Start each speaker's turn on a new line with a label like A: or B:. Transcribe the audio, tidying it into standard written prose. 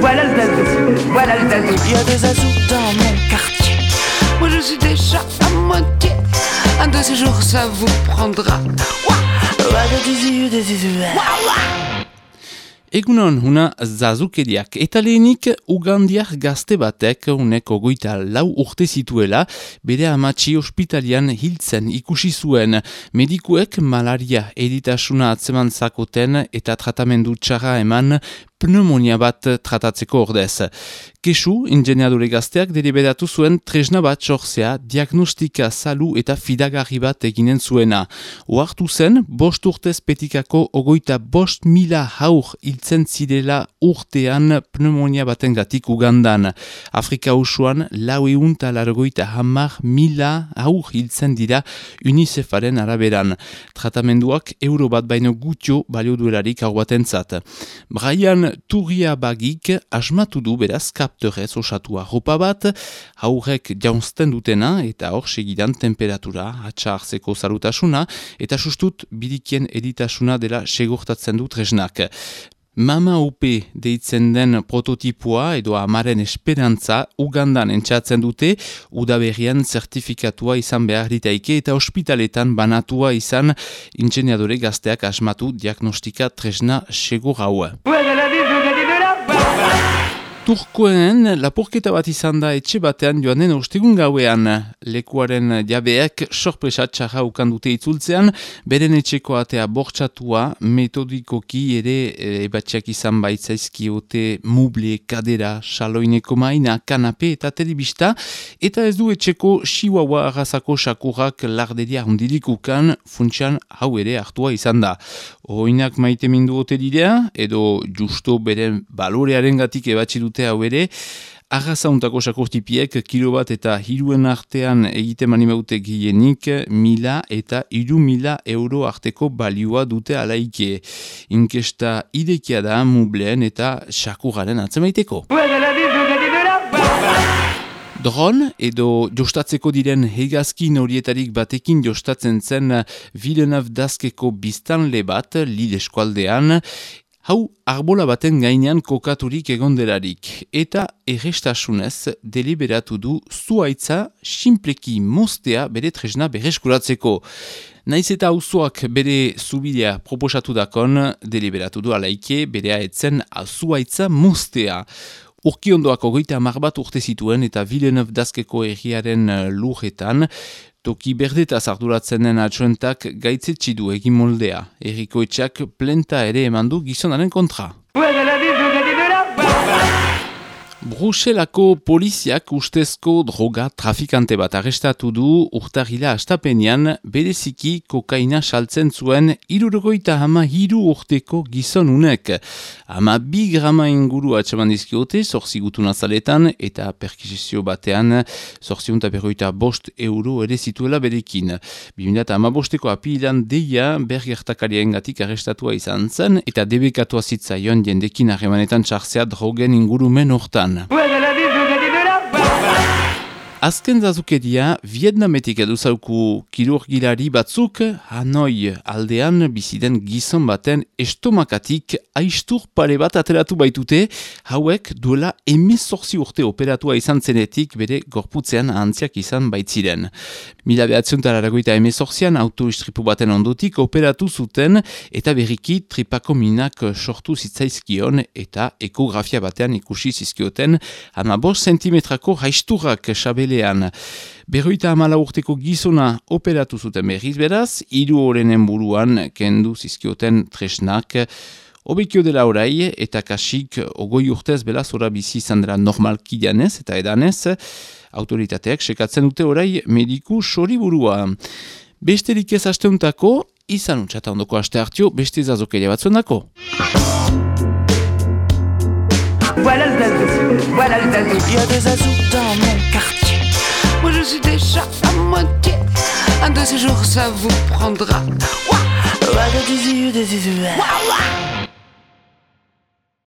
A: Voilà le zazou, voilà le zazou.
B: Il y a des zazous dans mon quartier. Moi je suis déjà à moitié. Un de ces jours ça vous prendra.
C: Egunon, huna zazukeriak. Eta lehenik, ugandiar gazte batek uneko 24 urte zituela, bere amatxi ospitalian hiltzen ikusi zuen. Medikuek malaria eritasuna atzeman zakoten eta tratamendu txarra eman pneumonia bat tratatzeko ordez. Kesu, ingeniadore gazteak deliberatu zuen tresna bat sortzea, diagnostika zalu eta fidagarri bat eginen zuena. Oartu zen, 5 urtez petikako 25.000 haur hiltzen zirela urtean pneumonia batengatik Ugandan. Afrika usuan 450.000 haur hiltzen dira UNICEFaren araberan. Tratamenduak euro bat baino gutio balio duelarik hau batentzat. Brian Turia bagik asmatu du beraz kaptorez osatua ropa bat, haurek jaunzten dutena eta hor segidan temperatura, atxa hartzeko zarutasuna eta sustut birikien editasuna dela segurtatzen du tresnak. Mama UP deitzen den prototipoa edo amaren esperantza Ugandan entxatzen dute, udaberrian zertifikatua izan behar ditaike eta ospitaletan banatua izan ingeniadore gazteak asmatu diagnostika tresna segur hau. Turkoen lapurketa bat izan da etxe batean joanen ostegun gauean. Lekuaren jabeak sorpresa txarra ukandute itzultzean, beren etxeko atea bortxatua, metodikoki ere ebatxeak izan baitzaizkiote muble, kadera, saloineko maina, kanape eta telebista, eta ez du etxeko chihuahua arrazako sakurrak larderia hundilikukan, funtsian hau ere hartua izan da. Oinak maite mindu ote didea, edo justo beren balorearen gatik ebatzi dute hau ere, arrazauntako sakurtipiek kilo bat eta 3 artean egite manimeute gehienik 1.000 eta 3.000 euro arteko balioa dute alaike. Inkesta idekia da mubleen eta sakuraren atzemaiteko. Dron edo jostatzeko diren hegazkin horietarik batekin jostatzen zen Villeneuve d'Askeko biztanle bat Lille eskualdean, hau arbola baten gainean kokaturik egondelarik eta errestasunez deliberatu du zuhaitza sinpleki moztea bere tresna berreskuratzeko. Naiz eta auzoak bere zubidea proposatu dakon, deliberatu du alaike berea etzen zuhaitza moztea. Urkiondoak 30 bat urte zituen eta Villeneuve d'Askeko herriaren lurretan, toki berdetaz arduratzen den atxoentak gaitzetsi du egin moldea. Herriko etxak plenta ere emandu gizonaren kontra. Bruselako poliziak ustezko droga trafikante bat arrestatu du urtarrila astapenean bereziki kokaina saltzen zuen 73 urteko gizonunek. 12 grama inguru atxaman dizkiote, 8 gutun azaletan eta perkizizio batean 855 euro ere zituela berekin. 2015ko apilan deia bergertakarien gatik arrestatua izan zen eta debekatua zitzaion jendekin harremanetan txartzea drogen ingurumen hortan. Azken zazukeria, Vietnametik eduzauku kirurgilari batzuk Hanoi aldean biziden gizon baten estomakatik aistur pare bat ateratu baitute, hauek duela 18 urte operatua izan zenetik bere gorputzean ahantziak izan baitziren. 1918an autoistripu baten ondotik operatu zuten eta berriki tripako minak sortu zitzaizkion eta ekografia batean ikusi zizkioten 15 centimetrako haisturrak sabelean. 54 urteko gizona operatu zuten berriz beraz, 3 horrenen buruan kendu zizkioten tresnak, obekio dela orai eta kasik 20 urtez belaz ora bizi izan dela normalki janez eta edanez, autoritateak sekatzen dute orai mediku soriburua. Besterik ez asteuntako, izan utxata ondoko aste hartio, beste zazokeria batzuendako.
A: Voilà le zazou, voilà le zazou.
B: Il y a des zazous dans mon quartier. Moi je suis déjà à moitié. Un de ces jours ça vous prendra. Ouah, ouah, ouah.